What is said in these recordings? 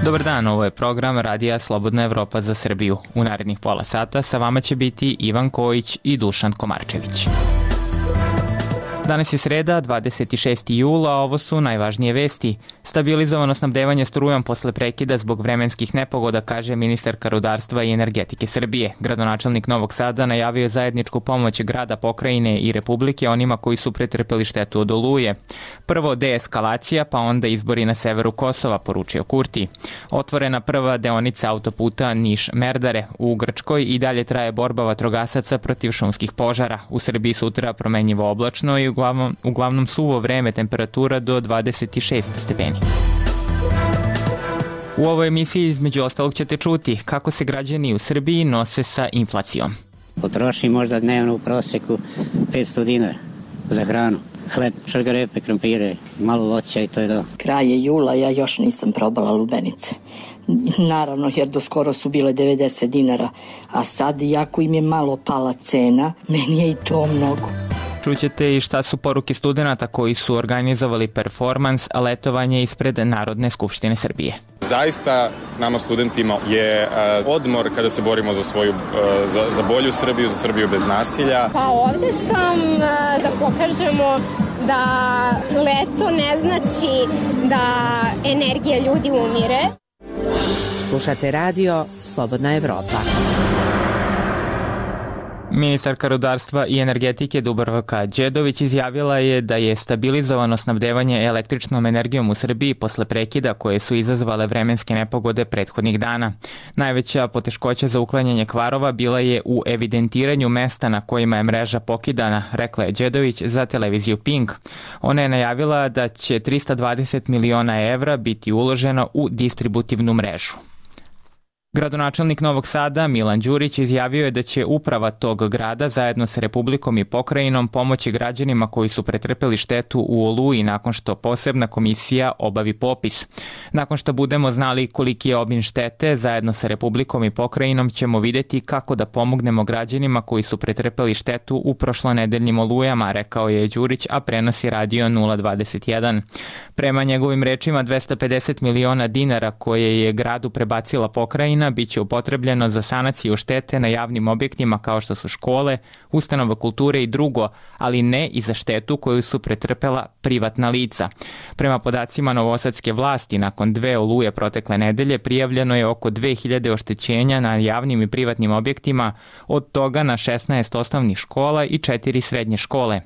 Dobar dan, ovo je program Radija Slobodna Evropa za Srbiju. U narednih pola sata sa vama će biti Ivan Kojić i Dušan Komarčević. Danas je sreda, 26. jula, a ovo su najvažnije vesti. Stabilizovano snabdevanje strujom posle prekida zbog vremenskih nepogoda, kaže ministarka rudarstva i energetike Srbije. Gradonačelnik Novog Sada najavio je zajedničku pomoć grada, pokrajine i republike onima koji su pretrpeli štetu od oluje. Prvo deeskalacija, pa onda izbori na severu Kosova, poručio Kurti. Otvorena prva deonica autoputa Niš-Merdare. U Grčkoj i dalje traje borba vatrogasaca protiv šumskih požara. U Srbiji sutra promenjivo oblačno i uglavnom suvo vreme, temperatura do 26 stepeni. U ovoj emisiji između ostalog ćete čuti kako se građani u Srbiji nose sa inflacijom. Potroši možda dnevno u proseku 500 dinara za hranu. Hleb, šargarepe, krompire, malo voća i to je to. Kraj je jula, ja još nisam probala lubenice. Naravno, jer do skoro su bile 90 dinara, a sad, iako im je malo pala cena, meni je i to mnogo. Čućete i šta su poruke studenta koji su organizovali performans letovanje ispred Narodne skupštine Srbije. Zaista nama studentima je odmor kada se borimo za svoju, za bolju Srbiju, za Srbiju bez nasilja. Pa ovde sam da pokažemo da leto ne znači da energija ljudi umire. Slušate radio Slobodna Evropa. Ministarka rudarstva i energetike Dubravka Đedović izjavila je da je stabilizovano snabdevanje električnom energijom u Srbiji posle prekida koje su izazvale vremenske nepogode prethodnih dana. Najveća poteškoća za uklanjanje kvarova bila je u evidentiranju mesta na kojima je mreža pokidana, rekla je Đedović za televiziju Pink. Ona je najavila da će 320 miliona evra biti uloženo u distributivnu mrežu. Gradonačelnik Novog Sada Milan Đurić izjavio je da će uprava tog grada zajedno sa Republikom i pokrajinom pomoći građanima koji su pretrpeli štetu u oluji nakon što posebna komisija obavi popis. Nakon što budemo znali koliki je obim štete, zajedno sa Republikom i pokrajinom ćemo videti kako da pomognemo građanima koji su pretrpeli štetu u prošlonedeljnim olujama, rekao je Đurić, a prenosi radio 021. Prema njegovim rečima, 250 miliona dinara koje je gradu prebacila pokrajina biće upotrebljeno za sanaciju štete na javnim objektima kao što su škole, ustanove kulture i drugo, ali ne i za štetu koju su pretrpela privatna lica. Prema podacima novosadske vlasti, nakon 2 oluje protekle nedelje prijavljeno je oko 2000 oštećenja na javnim i privatnim objektima, od toga na 16 osnovnih škola i 4 srednje škole.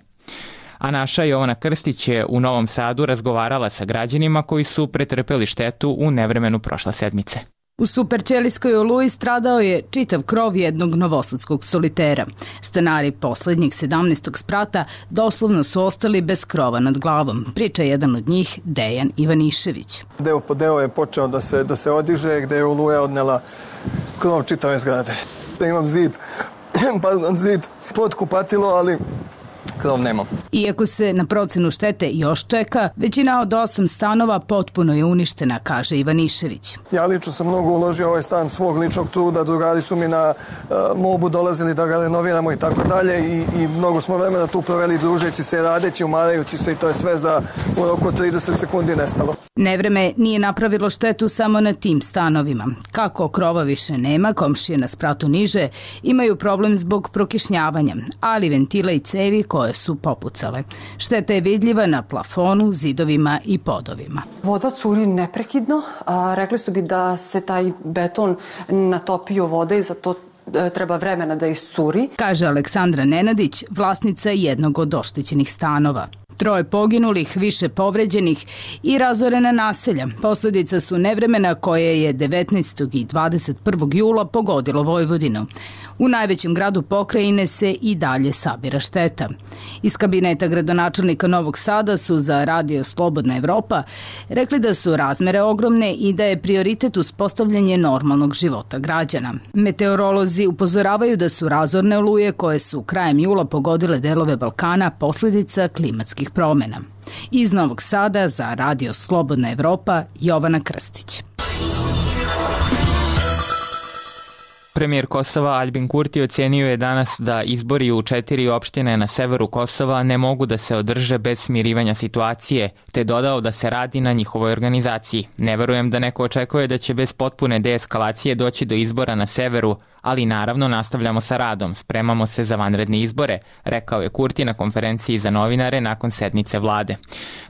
A naša Jovana Krstić je u Novom Sadu razgovarala sa građanima koji su pretrpeli štetu u nevremenu prošle sedmice. U Superćelijskoj oluji stradao je čitav krov jednog novosadskog solitera. Stanari poslednjeg 17. sprata doslovno su ostali bez krova nad glavom, priča jedan od njih, Dejan Ivanišević. Deo po deo je počeo da se odiže, gde je oluja odnela krov čitave zgrade. Da imam zid pod kupatilo, ali krov nemam. Iako se na procenu štete još čeka, većina od 8 stanova potpuno je uništena, kaže Ivanišević. Ja lično sam mnogo uložio ovaj stan svog ličnog truda, drugari su mi na mobu dolazili da ga renoviramo i tako dalje i mnogo smo vremena tu proveli družeći se, radeći, umarajući se i to je sve za u roku 30 sekundi nestalo. Nevreme nije napravilo štetu samo na tim stanovima. Kako krova više nema, komšije na spratu niže imaju problem zbog prokišnjavanja, ali ventila i cevi koje su popucale. Šteta je vidljiva na plafonu, zidovima i podovima. Voda curi neprekidno. Rekli su bi da se taj beton natopio vode i za to treba vremena da iscuri. Kaže Aleksandra Nenadić, vlasnica jednog od oštećenih stanova. 3 poginulih, više povređenih i razorena naselja. Posledica su nevremena koje je 19. i 21. jula pogodilo Vojvodinu. U najvećem gradu pokrajine se i dalje sabira šteta. Iz kabineta gradonačelnika Novog Sada su za radio Slobodna Evropa rekli da su razmere ogromne i da je prioritet uspostavljanje normalnog života građana. Meteorolozi upozoravaju da su razorne oluje koje su krajem jula pogodile delove Balkana posledica klimatskih promena. Iz Novog Sada za radio Slobodna Evropa, Jovana Krstić. 1. Premijer Kosova Aljbin Kurti ocenio je danas da izbori u 4 opštine na severu Kosova ne mogu da se održe bez smirivanja situacije, te dodao da se radi na njihovoj organizaciji. Ne verujem da neko očekuje da će bez potpune deeskalacije doći do izbora na severu, ali naravno nastavljamo sa radom, spremamo se za vanredne izbore, rekao je Kurti na konferenciji za novinare nakon sednice vlade.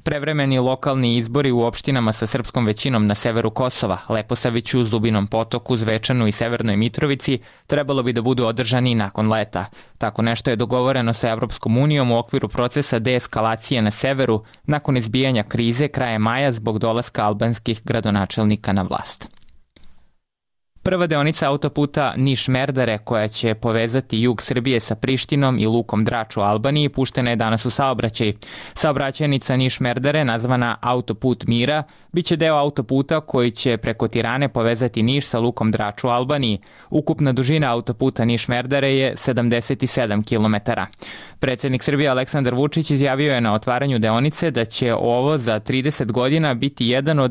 Prevremeni lokalni izbori u opštinama sa srpskom većinom na severu Kosova, Leposaviću, Zubinom Potoku, Zvečanu i Severnoj Mitrovici trebalo bi da budu održani nakon leta. Tako nešto je dogovoreno sa Evropskom unijom u okviru procesa deeskalacije na severu nakon izbijanja krize krajem maja zbog dolaska albanskih gradonačelnika na vlast. Prva deonica autoputa Niš-Merdare, koja će povezati jug Srbije sa Prištinom i lukom Drač u Albaniji, puštena je danas u saobraćaj. Saobraćajnica Niš-Merdare, nazvana Autoput Mira, biće deo autoputa koji će preko Tirane povezati Niš sa lukom Drač u Albaniji. Ukupna dužina autoputa Niš-Merdare je 77 km. Predsjednik Srbije Aleksandar Vučić izjavio je na otvaranju deonice da će ovo za 30 godina biti jedna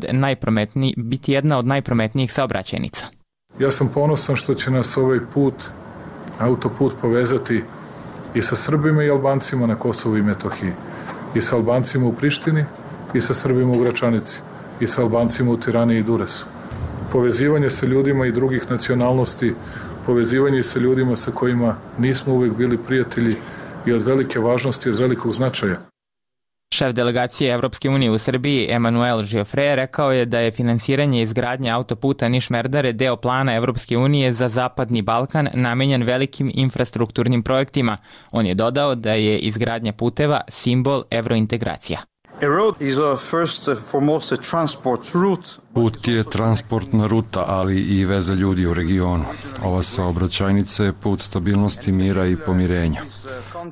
od najprometnijih saobraćajnica. Ja sam ponosan što će nas ovaj autoput povezati i sa Srbima i Albancima na Kosovu i Metohiji, i sa Albancima u Prištini, i sa Srbima u Gračanici, i sa Albancima u Tirani i Duresu. Povezivanje sa ljudima i drugih nacionalnosti, povezivanje sa ljudima sa kojima nismo uvijek bili prijatelji i od velike važnosti, od velikog značaja. Šef delegacije Evropske unije u Srbiji, Emanuel Giofre, rekao je da je finansiranje izgradnje autoputa Niš-Merdare deo plana Evropske unije za Zapadni Balkan namenjen velikim infrastrukturnim projektima. On je dodao da je izgradnja puteva simbol evrointegracija. Put je transportna ruta, ali i veza ljudi u regionu. Ova saobraćajnica je put stabilnosti, mira i pomirenja.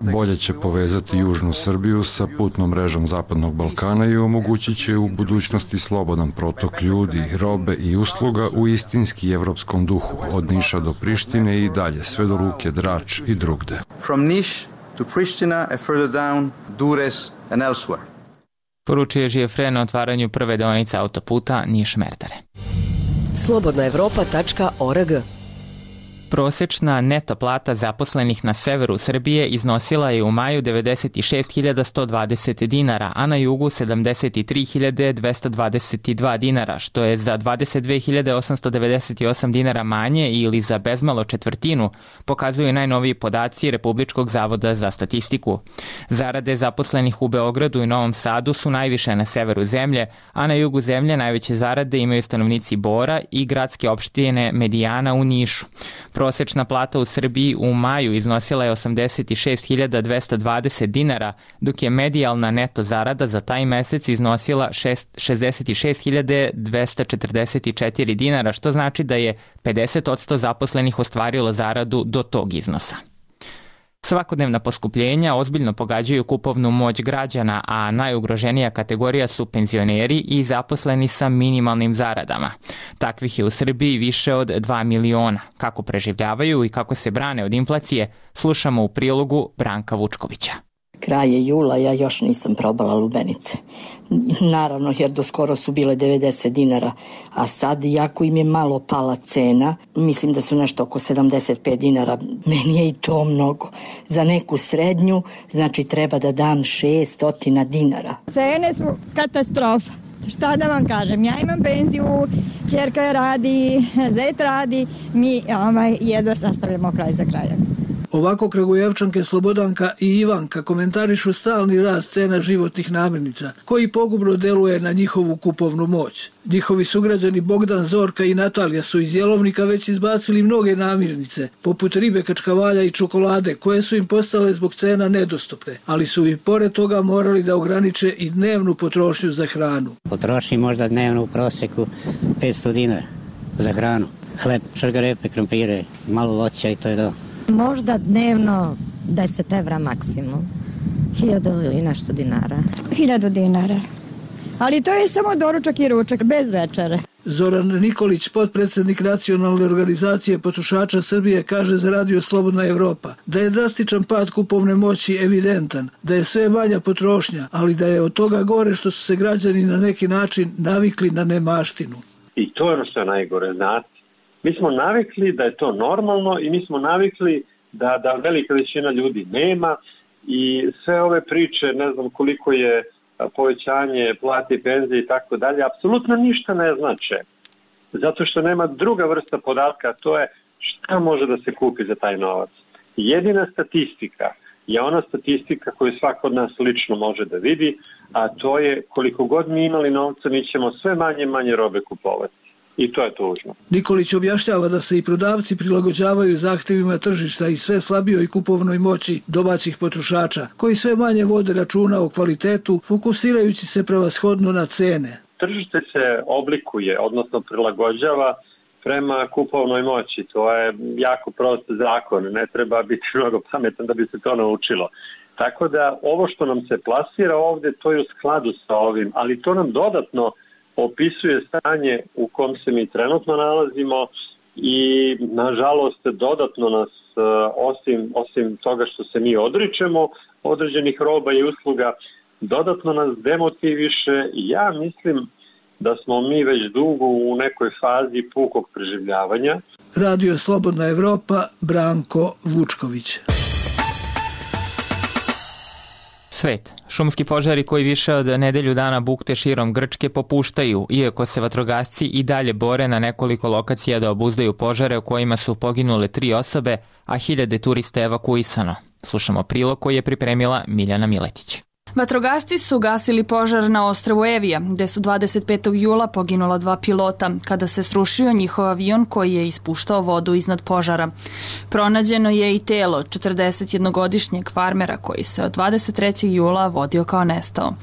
Bolje će povezati južnu Srbiju sa putnom mrežom Zapadnog Balkana i omogućit će u budućnosti slobodan protok ljudi, robe i usluga u istinski evropskom duhu, od Niša do Prištine i dalje, sve do luke Drač i drugde. From Niš to Pristina and further down, Dures and elsewhere. Poručio je Giofre na otvaranju prve deonice autoputa Niš-Merdare. Slobodnaevropa.org. Prosečna neto plata zaposlenih na severu Srbije iznosila je u maju 96.120 dinara, a na jugu 73.222 dinara, što je za 22.898 dinara manje ili za bezmalo četvrtinu, pokazuju najnoviji podaci Republičkog zavoda za statistiku. Zarade zaposlenih u Beogradu i Novom Sadu su najviše na severu zemlje, a na jugu zemlje najveće zarade imaju stanovnici Bora i gradske opštine Medijana u Nišu. Prosečna plata u Srbiji u maju iznosila je 86.220 dinara, dok je medijalna neto zarada za taj mesec iznosila 66.244 dinara, što znači da je 50% zaposlenih ostvarilo zaradu do tog iznosa. Svakodnevna poskupljenja ozbiljno pogađaju kupovnu moć građana, a najugroženija kategorija su penzioneri i zaposleni sa minimalnim zaradama. Takvih je u Srbiji više od 2 miliona. Kako preživljavaju i kako se brane od inflacije, slušamo u prilogu Branka Vučkovića. Kraj je jula, ja još nisam probala lubenice. Naravno, jer do skoro su bile 90 dinara, a sad, jako im je malo pala cena, mislim da su nešto oko 75 dinara, meni je i to mnogo. Za neku srednju, znači treba da dam 600 dinara. Cene su katastrofa. Šta da vam kažem, ja imam penziju, ćerka radi, zet radi, mi jedva sastavljamo kraj za krajem. Ovako Kragujevčanke Slobodanka i Ivanka komentarišu stalni rast cena životnih namirnica, koji pogubno deluje na njihovu kupovnu moć. Njihovi sugrađani Bogdan, Zorka i Natalija su iz jelovnika već izbacili mnoge namirnice, poput ribe, kačkavalja i čokolade, koje su im postale zbog cena nedostupne, ali su i pored toga morali da ograniče i dnevnu potrošnju za hranu. Potroši možda dnevno u proseku 500 dinara za hranu. Hleb, šargarepe, krompire, malo voća i to je to. Možda dnevno 10 evra maksimum. 1000 i nešto dinara. 1000 dinara. Ali to je samo doručak i ručak, bez večere. Zoran Nikolić, potpredsjednik Nacionalne organizacije potrošača Srbije, kaže za Radio Slobodna Evropa da je drastičan pad kupovne moći evidentan, da je sve manja potrošnja, ali da je od toga gore što su se građani na neki način navikli na nemaštinu. I to je ono što je najgore, znate. Mi smo navikli da je to normalno i mi smo navikli da velika većina ljudi nema i sve ove priče, ne znam koliko je povećanje plate i penzije i tako dalje, apsolutno ništa ne znače. Zato što nema druga vrsta podatka, to je šta može da se kupi za taj novac. Jedina statistika je ona statistika koju svako od nas lično može da vidi, a to je koliko god mi imali novca, mi ćemo sve manje i manje robe kupovati. I to je tužno. Nikolić objašnjava da se i prodavci prilagođavaju zahtevima tržišta i sve slabijoj kupovnoj moći domaćih potrošača, koji sve manje vode računa o kvalitetu, fokusirajući se prevashodno na cene. Tržište se oblikuje, odnosno prilagođava prema kupovnoj moći. To je jako prost zakon, ne treba biti mnogo pametan da bi se to naučilo. Tako da ovo što nam se plasira ovde, to je u skladu sa ovim, ali to nam dodatno opisuje stanje u kom se mi trenutno nalazimo i nažalost dodatno nas, osim toga što se mi odričemo određenih roba i usluga, dodatno nas demotiviše. Ja mislim da smo mi već dugo u nekoj fazi pukog preživljavanja. Radio Slobodna Evropa, Branko Vučković. Svet. Šumski požari koji više od nedelju dana bukte širom Grčke popuštaju, iako se vatrogasci i dalje bore na nekoliko lokacija da obuzdaju požare u kojima su poginule 3 osobe, a hiljade turista evakuisano. Slušamo prilog koji je pripremila Miljana Miletić. Vatrogasci su gasili požar na ostrvu Evija, gde su 25. jula poginula 2 pilota, kada se srušio njihov avion koji je ispuštao vodu iznad požara. Pronađeno je i telo 41-godišnjeg farmera koji se od 23. jula vodio kao nestao.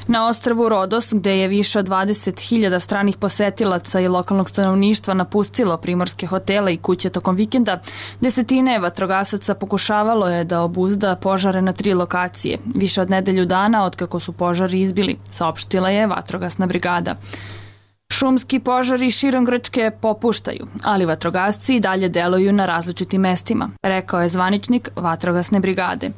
Na ostrvu Rodos, gde je više od 20.000 stranih posetilaca i lokalnog stanovništva napustilo primorske hotele i kuće tokom vikenda, desetine vatrogasaca pokušavalo je da obuzda požare na 3 lokacije, više od nedelju dana od kako su požari izbili, saopštila je vatrogasna brigada. Šumski požari širom Grčke popuštaju, ali vatrogasci i dalje deluju na različitim mestima, rekao je zvaničnik vatrogasne brigade.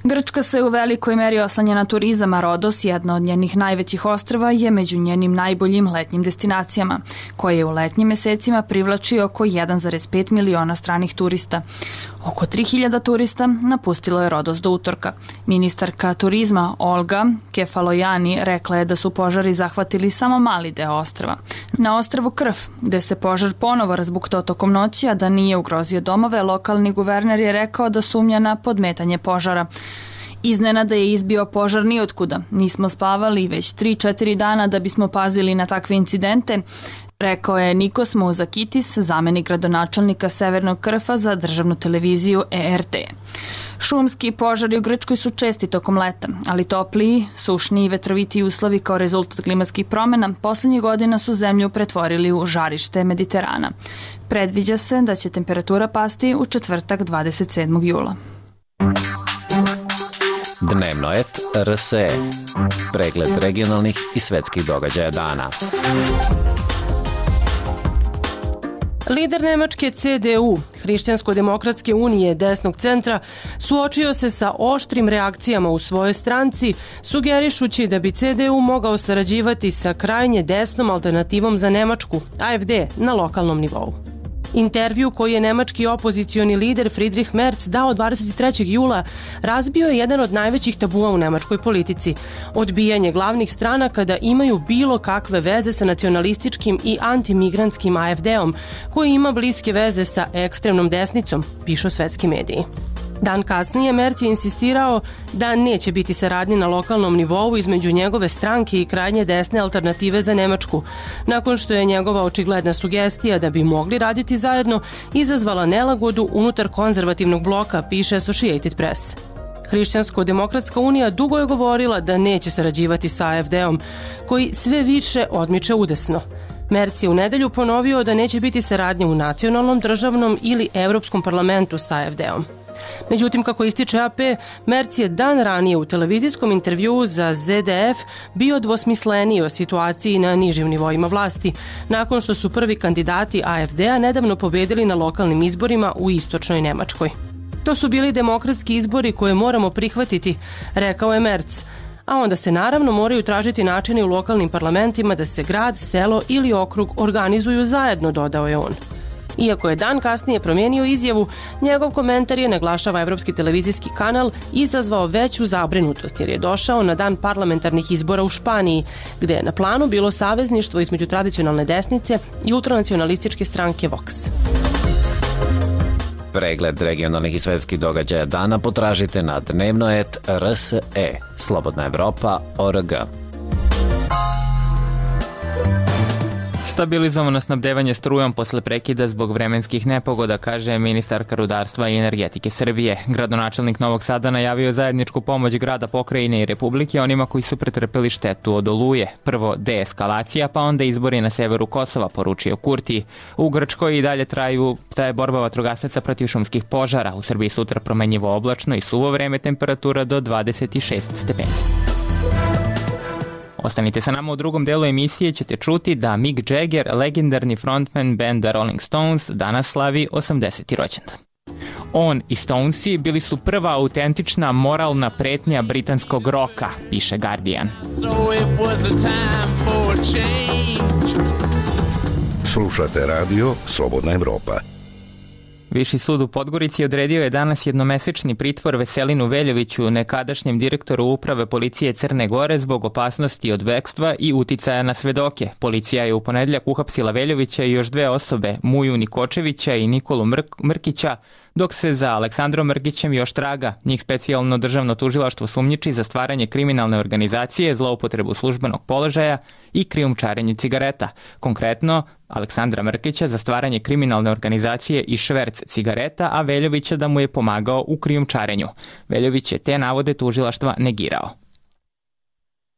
Grčka se u velikoj meri oslanja na turizam, a Rodos, jedno od njenih najvećih ostrva, je među njenim najboljim letnjim destinacijama, koje u letnjim mesecima privlači oko 1,5 miliona stranih turista. Oko 3.000 turista napustilo je Rodos do utorka. Ministarka turizma Olga Kefalojani rekla je da su požari zahvatili samo mali deo ostrva. Na ostrvu Krf, gde se požar ponovo razbuktao tokom noći, a da nije ugrozio domove, lokalni guverner je rekao da sumnja na podmetanje požara. Iznenada je izbio požar nijotkuda. Nismo spavali već 3-4 dana da bismo pazili na takve incidente, rekao je Nikos Mouzakitis, zamenik gradonačelnika Severnog Krfa za državnu televiziju ERT. Šumski požari u Grčkoj su česti tokom leta, ali topliji, sušni i vetroviti uslovi kao rezultat klimatskih promjena poslednjih godina su zemlju pretvorili u žarište Mediterana. Predviđa se da će temperatura pasti u četvrtak 27. jula. Dnevno et RSE. Pregled regionalnih i svetskih događaja dana. Lider Nemačke CDU, Hrišćansko-demokratske unije desnog centra, suočio se sa oštrim reakcijama u svojoj stranci, sugerišući da bi CDU mogao sarađivati sa krajnje desnom alternativom za Nemačku, AfD, na lokalnom nivou. Intervju koji je nemački opozicioni lider Friedrich Merz dao 23. jula razbio je jedan od najvećih tabua u nemačkoj politici. Odbijanje glavnih stranaka da imaju bilo kakve veze sa nacionalističkim i antimigrantskim AfD-om, koji ima bliske veze sa ekstremnom desnicom, pišu svetski mediji. Dan kasnije Merz je insistirao da neće biti saradnje na lokalnom nivou između njegove stranke i krajnje desne alternative za Nemačku, nakon što je njegova očigledna sugestija da bi mogli raditi zajedno izazvala nelagodu unutar konzervativnog bloka, piše Associated Press. Hrišćansko-demokratska unija dugo je govorila da neće sarađivati sa AfD-om, koji sve više odmiče udesno. Merz je u nedelju ponovio da neće biti saradnje u nacionalnom, državnom ili Evropskom parlamentu sa AfD-om. Međutim, kako ističe AP, Merz je dan ranije u televizijskom intervjuu za ZDF bio dvosmisleniji o situaciji na nižim nivoima vlasti, nakon što su prvi kandidati AfD-a nedavno pobedili na lokalnim izborima u istočnoj Nemačkoj. To su bili demokratski izbori koje moramo prihvatiti, rekao je Merz, a onda se naravno moraju tražiti načini u lokalnim parlamentima da se grad, selo ili okrug organizuju zajedno, dodao je on. Iako je dan kasnije promijenio izjavu, njegov komentar je, naglašava evropski televizijski kanal, izazvao veću zabrinutost jer je došao na dan parlamentarnih izbora u Španiji, gde je na planu bilo savezništvo između tradicionalne desnice i ultranacionalističke stranke Vox. Pregled regionalnih i svetskih događaja dana potražite na dnevnoet.rse, slobodnaevropa.org. Stabilizovano snabdevanje strujom posle prekida zbog vremenskih nepogoda, kaže ministarka rudarstva i energetike Srbije. Gradonačelnik Novog Sada najavio zajedničku pomoć grada, pokrajine i republike onima koji su pretrpeli štetu od oluje. Prvo deeskalacija, pa onda izbori na severu Kosova, poručio Kurti. U Grčkoj i dalje traje borba vatrogasaca protiv šumskih požara. U Srbiji sutra promenjivo oblačno i suvo vreme, temperatura do 26 stepeni. Ostanite sa nama, u drugom delu emisije ćete čuti da Mick Jagger, legendarni frontman benda Rolling Stones, danas slavi 80. rođendan. On i Stonesi bili su prva autentična moralna pretnja britanskog roka, piše Guardian. Slušate radio Slobodna Evropa. Viši sud u Podgorici odredio je danas jednomesečni pritvor Veselinu Veljoviću, nekadašnjem direktoru uprave policije Crne Gore, zbog opasnosti od bekstva i uticaja na svedoke. Policija je u ponedeljak uhapsila Veljovića i još dve osobe, Muju Nikočevića i Nikolu Mrkića, dok se za Aleksandrom Mrkićem još traga. Njih specijalno državno tužilaštvo sumnjiči za stvaranje kriminalne organizacije, zloupotrebu službenog položaja i krijumčarenje cigareta. Konkretno, Aleksandra Mrkića za stvaranje kriminalne organizacije i šverc cigareta, a Veljovića da mu je pomagao u krijumčarenju. Veljović je te navode tužilaštva negirao.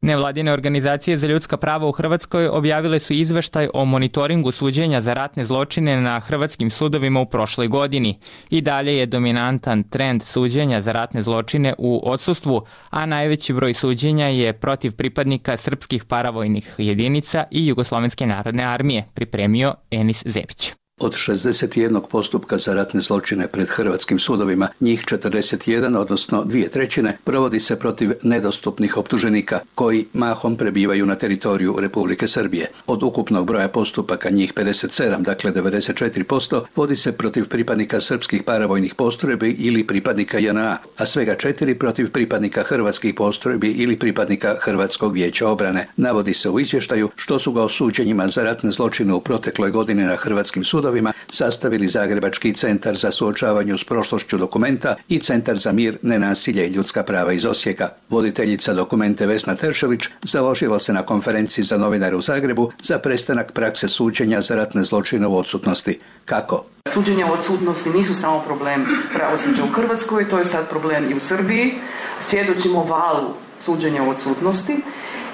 Nevladine organizacije za ljudska prava u Hrvatskoj objavile su izveštaj o monitoringu suđenja za ratne zločine na hrvatskim sudovima u prošloj godini. I dalje je dominantan trend suđenja za ratne zločine u odsustvu, a najveći broj suđenja je protiv pripadnika srpskih paravojnih jedinica i Jugoslovenske narodne armije, pripremio Enis Zebić. Od 61 postupka za ratne zločine pred hrvatskim sudovima, njih 41, odnosno 2/3, provodi se protiv nedostupnih optuženika, koji mahom prebivaju na teritoriju Republike Srbije. Od ukupnog broja postupaka, njih 57, dakle 94%, vodi se protiv pripadnika srpskih paravojnih postrojbi ili pripadnika JNA, a svega 4 protiv pripadnika hrvatskih postrojbi ili pripadnika Hrvatskog vijeća obrane. Navodi se u izvještaju što su ga o suđenjima za ratne zločine u protekloj godini na hrvatskim sudovima sastavili Zagrebački centar za suočavanje s prošlošću Dokumenta i Centar za mir, nenasilje i ljudska prava iz Osijeka. Voditeljica Dokumente Vesna Teršović založila se na konferenciji za novinare u Zagrebu za prestanak prakse suđenja za ratne zločine u odsutnosti. Kako? Suđenja u odsutnosti nisu samo problem pravosuđa u Hrvatskoj, to je sad problem i u Srbiji. Svjedočimo valu suđenja u odsutnosti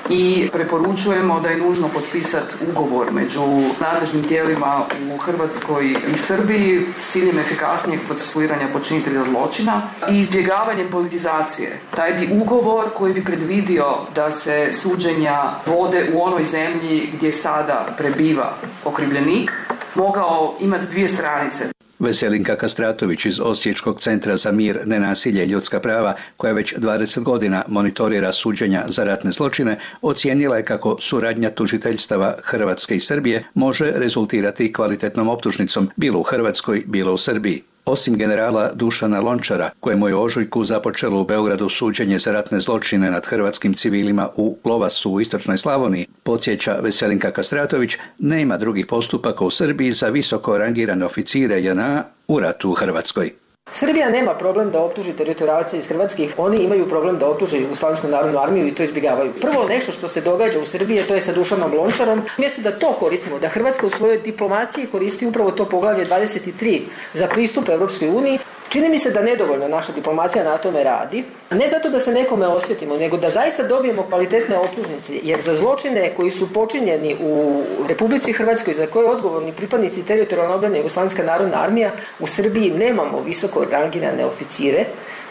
i preporučujemo da je nužno potpisati ugovor među nadležnim tijelima u Hrvatskoj i Srbiji s ciljem efikasnijeg procesuiranja počinitelja zločina i izbjegavanjem politizacije. Taj bi ugovor koji bi predvidio da se suđenja vode u onoj zemlji gdje sada prebiva okrivljenik mogao imati 2 stranice. Veselinka Kastratović iz Osječkog centra za mir, nenasilje i ljudska prava, koja već 20 godina monitorira suđenja za ratne zločine, ocijenila je kako suradnja tužiteljstava Hrvatske i Srbije može rezultirati kvalitetnom optužnicom, bilo u Hrvatskoj, bilo u Srbiji. Osim generala Dušana Lončara, kojemu je u ožujku započelo u Beogradu suđenje za ratne zločine nad hrvatskim civilima u Lovasu u istočnoj Slavoniji, podsjeća Veselinka Kastratović, nema drugih postupaka u Srbiji za visoko rangirane oficire JNA u ratu u Hrvatskoj. Srbija nema problem da optuži teritorijalce iz Hrvatskih, oni imaju problem da optuže Jugoslavensku narodnu armiju i to izbjegavaju. Prvo nešto što se događa u Srbiji, to je sa Dušanom Lončarom, umjesto da to koristimo, da Hrvatska u svojoj diplomaciji koristi upravo to poglavlje 23 za pristup Europskoj uniji, čini mi se da nedovoljno naša diplomacija na tome radi. Ne zato da se nekome osvetimo, nego da zaista dobijemo kvalitetne optužnice, jer za zločine koji su počinjeni u Republici Hrvatskoj, za koje odgovorni pripadnici teritorijalne obrane Jugoslovenska narodna armija, u Srbiji nemamo visoko rangirane oficire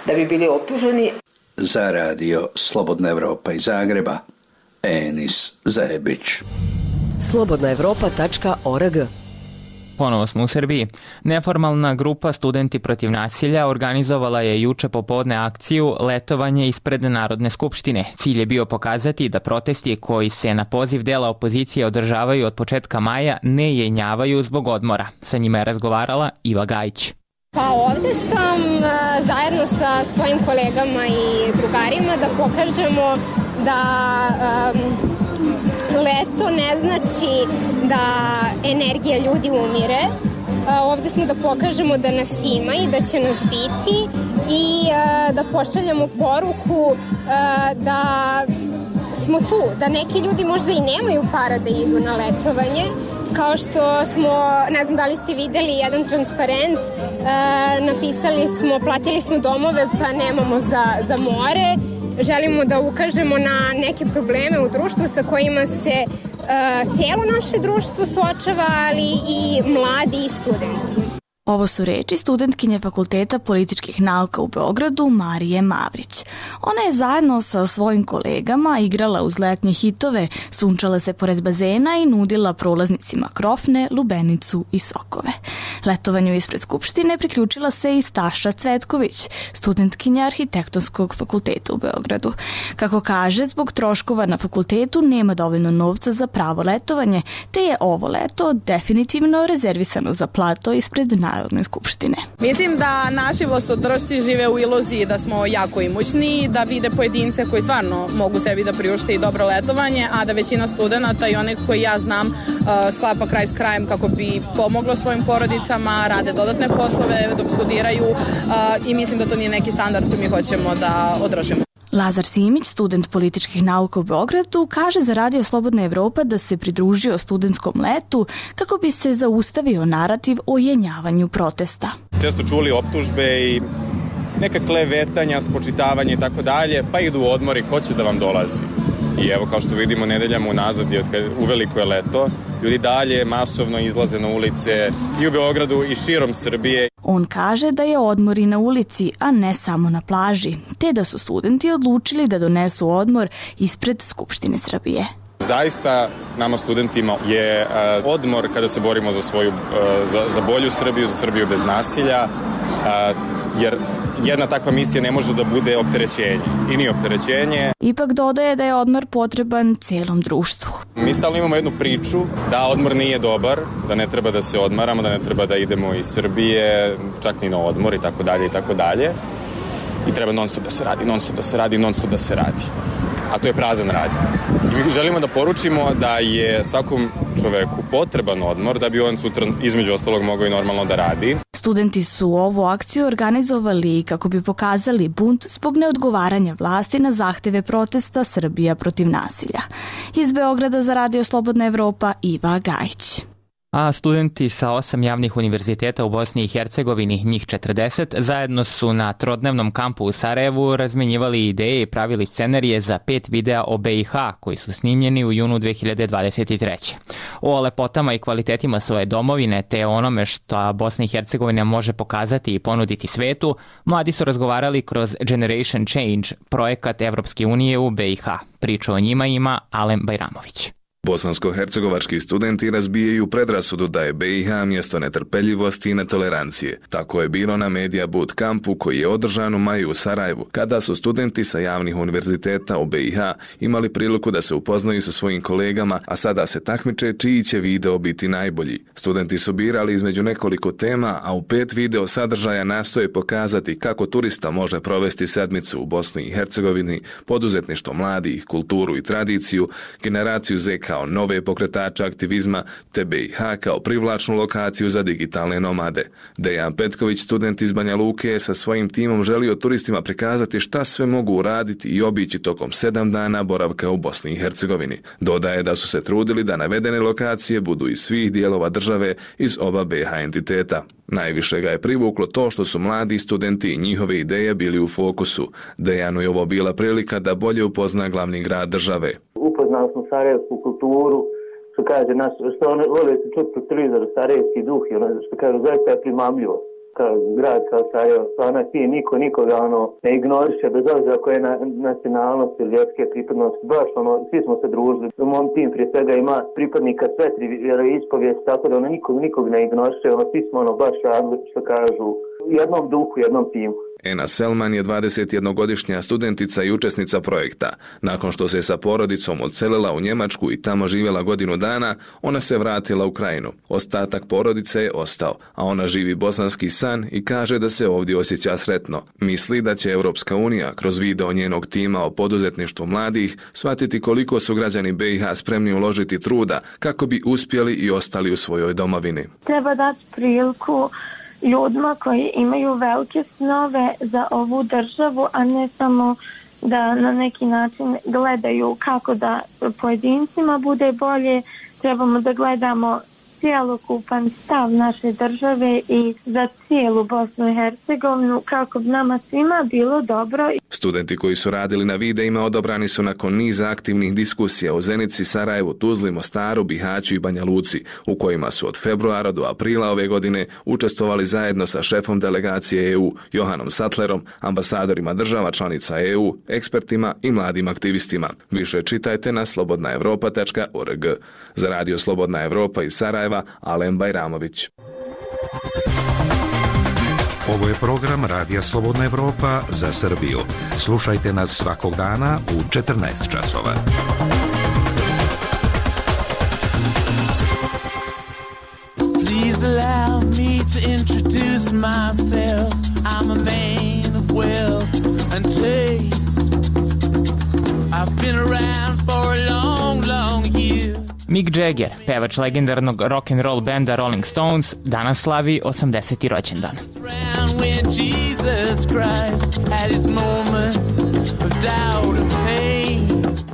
da bi bili optuženi. Za radio Slobodna Evropa iz Zagreba, Enis Zebić. slobodnaevropa.org. Ponovo smo u Srbiji. Neformalna grupa Studenti protiv nasilja organizovala je juče popodne akciju Letovanje ispred Narodne skupštine. Cilj je bio pokazati da protesti koji se na poziv dela opozicije održavaju od početka maja ne jenjavaju zbog odmora. Sa njima je razgovarala Iva Gajić. Pa ovde sam zajedno sa svojim kolegama i drugarima da pokažemo da leto ne znači da energija ljudi umire. Ovde smo da pokažemo da nas ima i da će nas biti i da pošaljemo poruku da smo tu, da neki ljudi možda i nemaju para da idu na letovanje, kao što smo, ne znam da li ste videli jedan transparent, napisali smo, platili smo domove pa nemamo za more. Želimo da ukažemo na neke probleme u društvu sa kojima se cijelo naše društvo suočava, ali i mladi i studenti. Ovo su reči studentkinje Fakulteta političkih nauka u Beogradu Marije Mavrić. Ona je zajedno sa svojim kolegama igrala uz letnje hitove, sunčala se pored bazena i nudila prolaznicima krofne, lubenicu i sokove. Letovanju ispred Skupštine priključila se i Staša Cvetković, studentkinja Arhitektonskog fakulteta u Beogradu. Kako kaže, zbog troškova na fakultetu nema dovoljno novca za pravo letovanje, te je ovo leto definitivno rezervisano za plato ispred Narodne skupštine. Mislim da naši vlastodržci žive u iluziji da smo jako imućni, da vide pojedince koji stvarno mogu sebi da priušte i dobro letovanje, a da većina studenta i onih koji ja znam sklapa kraj s krajem kako bi pomoglo svojim porodicama, rade dodatne poslove dok studiraju i mislim da to nije neki standard koji mi hoćemo da održimo. Lazar Simić, student političkih nauka u Beogradu, kaže za Radio Slobodna Evropa da se pridružio studentskom letu kako bi se zaustavio narativ o jenjavanju protesta. Često čuli optužbe i neka klevetanja, spočitavanje i tako dalje, pa idu u odmor i ko će da vam dolazi. I evo, kao što vidimo, nedeljama unazad, uveliko je leto, ljudi dalje masovno izlaze na ulice i u Beogradu i širom Srbije. On kaže da je odmor i na ulici, a ne samo na plaži, te da su studenti odlučili da donesu odmor ispred Skupštine Srbije. Zaista nama studentima je odmor kada se borimo za bolju Srbiju, za Srbiju bez nasilja, jer jedna takva misija ne može da bude opterećenje i nije opterećenje. Ipak dodaje da je odmor potreban celom društvu. Mi stalno imamo jednu priču da odmor nije dobar, da ne treba da se odmaramo, da ne treba da idemo iz Srbije, čak ni na odmor i tako dalje i tako dalje. I treba non stop da se radi, non stop da se radi, non stop da se radi. A to je prazan rad. I mi želimo da poručimo da je svakom čoveku potreban odmor da bi on sutra između ostalog mogao i normalno da radi. Studenti su ovu akciju organizovali kako bi pokazali bunt zbog neodgovaranja vlasti na zahteve protesta Srbija protiv nasilja. Iz Beograda za Radio Slobodna Evropa, Iva Gajić. A studenti sa 8 javnih univerziteta u Bosni i Hercegovini, njih 40, zajedno su na trodnevnom kampu u Sarajevu razmenjivali ideje i pravili scenarije za 5 videa o BiH koji su snimljeni u junu 2023. O lepotama i kvalitetima svoje domovine te onome što Bosna i Hercegovina može pokazati i ponuditi svetu, mladi su razgovarali kroz Generation Change, projekat Evropske unije u BiH. Priču o njima ima Alen Bajramović. Bosansko-hercegovački studenti razbijaju predrasudu da je BiH mjesto netrpeljivosti i netolerancije. Tako je bilo na Media Bootcampu koji je održan u maju u Sarajevu, kada su studenti sa javnih univerziteta u BiH imali priliku da se upoznaju sa svojim kolegama, a sada se takmiče čiji će video biti najbolji. Studenti su birali između nekoliko tema, a u 5 video sadržaja nastoje pokazati kako turista može provesti sedmicu u Bosni i Hercegovini, poduzetništvo mladih, kulturu i tradiciju, generaciju Z kao nove pokretače aktivizma, te BiH kao privlačnu lokaciju za digitalne nomade. Dejan Petković, student iz Banja Luke, je sa svojim timom želio turistima prikazati šta sve mogu uraditi i obići tokom 7 dana boravka u Bosni i Hercegovini. Dodaje da su se trudili da navedene lokacije budu iz svih dijelova države iz oba BiH entiteta. Najviše ga je privuklo to što su mladi studenti i njihove ideje bili u fokusu. Dejanu je ovo bila prilika da bolje upozna glavni grad države. Upoznali smo sarajevsku kulturu, što kaže, što oni vole se čuti po televizoru, sarajevski duh, i ono što kaže, zaista je primamljivo. grad kao Sarajevo, stvarno je niko nikoga ne ignoriše, bez obzira koje je nacionalnost ili vjerske pripadnosti, baš svi smo se družili. U mom tim prije svega ima pripadnika sve tri vjeroispovijesti, tako da nikog ne ignoriše, svi smo baš radili, što kažu, u jednom duhu, u jednom timu. Ena Selman je 21-godišnja studentica i učesnica projekta. Nakon što se sa porodicom odselila u Njemačku i tamo živjela godinu dana, ona se vratila u Krajinu. Ostatak porodice je ostao, a ona živi bosanski san i kaže da se ovdje osjeća sretno. Misli da će Europska unija kroz video njenog tima o poduzetništvu mladih shvatiti koliko su građani BiH spremni uložiti truda kako bi uspjeli i ostali u svojoj domovini. Treba dati priliku ljudima koji imaju velike snove za ovu državu, a ne samo da na neki način gledaju kako da pojedincima bude bolje. Trebamo da gledamo cjelokupan stav naše države i za cijelu Bosnu i Hercegovinu kako bi nama svima bilo dobro. Studenti koji su radili na videima odabrani su nakon niza aktivnih diskusija u Zenici, Sarajevu, Tuzli, Mostaru, Bihaću i Banja Luci, u kojima su od februara do aprila ove godine učestvovali zajedno sa šefom delegacije EU, Johanom Sattlerom, ambasadorima država članica EU, ekspertima i mladim aktivistima. Više čitajte na slobodnaevropa.org. Za Radio Slobodna Evropa iz Sarajeva, Alen Bajramović. Ovo je program Radija Slobodna Evropa za Srbiju. Slušajte nas svakog dana u 14 časova. Please allow me to introduce myself. I'm a man of wealth and taste. I've been around for a long, long year. Mick Jagger, pevač legendarnog rock'n'roll benda Rolling Stones, danas slavi 80. rođendan.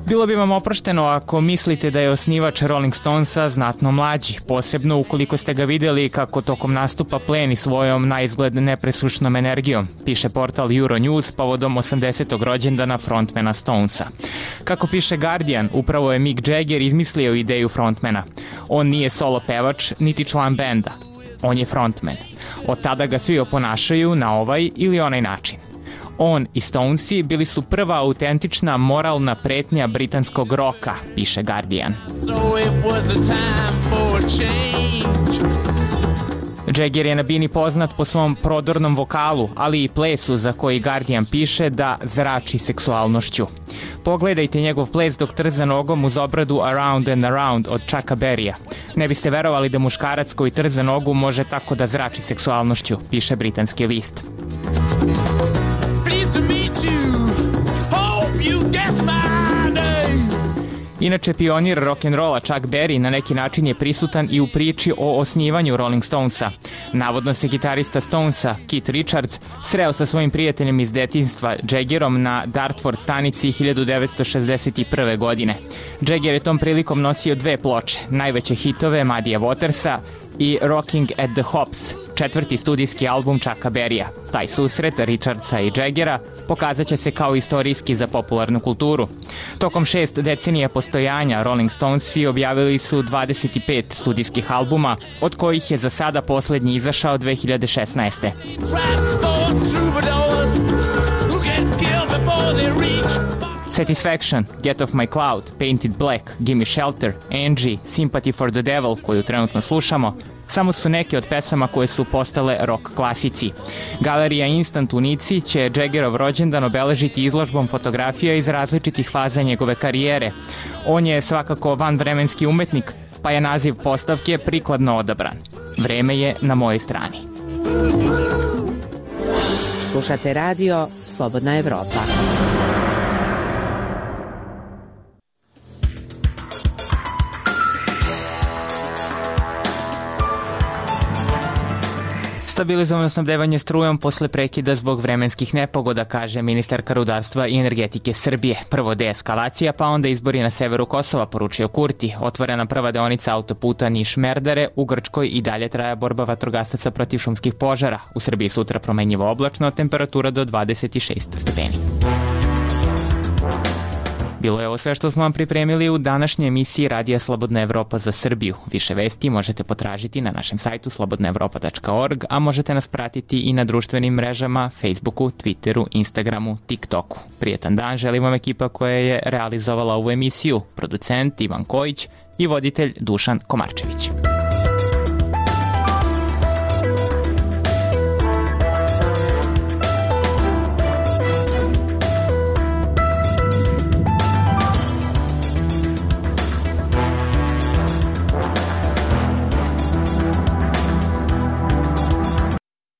Bilo bi vam oprošteno ako mislite da je osnivač Rolling Stonesa znatno mlađi, posebno ukoliko ste ga vidjeli kako tokom nastupa pleni svojom na izgled nepresušnom energijom, piše portal Euronews povodom 80. rođendana frontmana Stonesa. Kako piše Guardian, upravo je Mick Jagger izmislio ideju frontmana. On nije solo pevač, niti član benda. On je frontman. Od tada ga svi oponašaju na ovaj ili onaj način. On i Stonesi bili su prva autentična moralna pretnja britanskog roka, piše Guardian. Jagger je na bini poznat po svom prodornom vokalu, ali i plesu za koji Guardian piše da zrači seksualnošću. Pogledajte njegov ples dok trza nogom uz obradu Around and Around od Chucka Berrya. Ne biste verovali da muškarac koji trza nogu može tako da zrači seksualnošću, piše britanski list. Inače, pionir rock'n'rolla Chuck Berry na neki način je prisutan i u priči o osnivanju Rolling Stonesa. Navodno se gitarista Stonesa, Keith Richards, sreo sa svojim prijateljem iz detinjstva Jaggerom na Dartford stanici 1961. godine. Jagger je tom prilikom nosio dve ploče, najveće hitove Muddyja Watersa i Rocking at the Hops, četvrti studijski album Chucka Berrya. Taj susret Richardsa i Jaggera pokazat će se kao istorijski za popularnu kulturu. Tokom 6 decenija postojanja Rolling Stonesi objavili su 25 studijskih albuma, od kojih je za sada posljednji izašao 2016. Satisfaction, Get Off My Cloud, Painted Black, Gimme Shelter, Angie, Sympathy for the Devil, koju trenutno slušamo, samo su neke od pesama koje su postale rock klasici. Galerija Instant u Nici će Jaggerov rođendan obeležiti izložbom fotografija iz različitih faza njegove karijere. On je svakako vanvremenski umetnik, pa je naziv postavke prikladno odabran. Vreme je na mojoj strani. Slušate radio Slobodna Evropa. Stabilizovano snabdevanje strujom posle prekida zbog vremenskih nepogoda, kaže ministarka rudarstva i energetike Srbije. Prvo deeskalacija, pa onda izbori na severu Kosova, poručio Kurti. Otvorena prva deonica autoputa Niš-Merdare, u Grčkoj i dalje traja borba vatrogasaca protiv šumskih požara. U Srbiji sutra promenjivo oblačno, temperatura do 26 stepeni. Bilo je ovo sve što smo vam pripremili u današnjoj emisiji Radija Slobodna Evropa za Srbiju. Više vesti možete potražiti na našem sajtu slobodnaevropa.org, a možete nas pratiti i na društvenim mrežama Facebooku, Twitteru, Instagramu, TikToku. Prijetan dan želim vam ekipa koja je realizovala ovu emisiju, producent Ivan Kojić i voditelj Dušan Komarčević.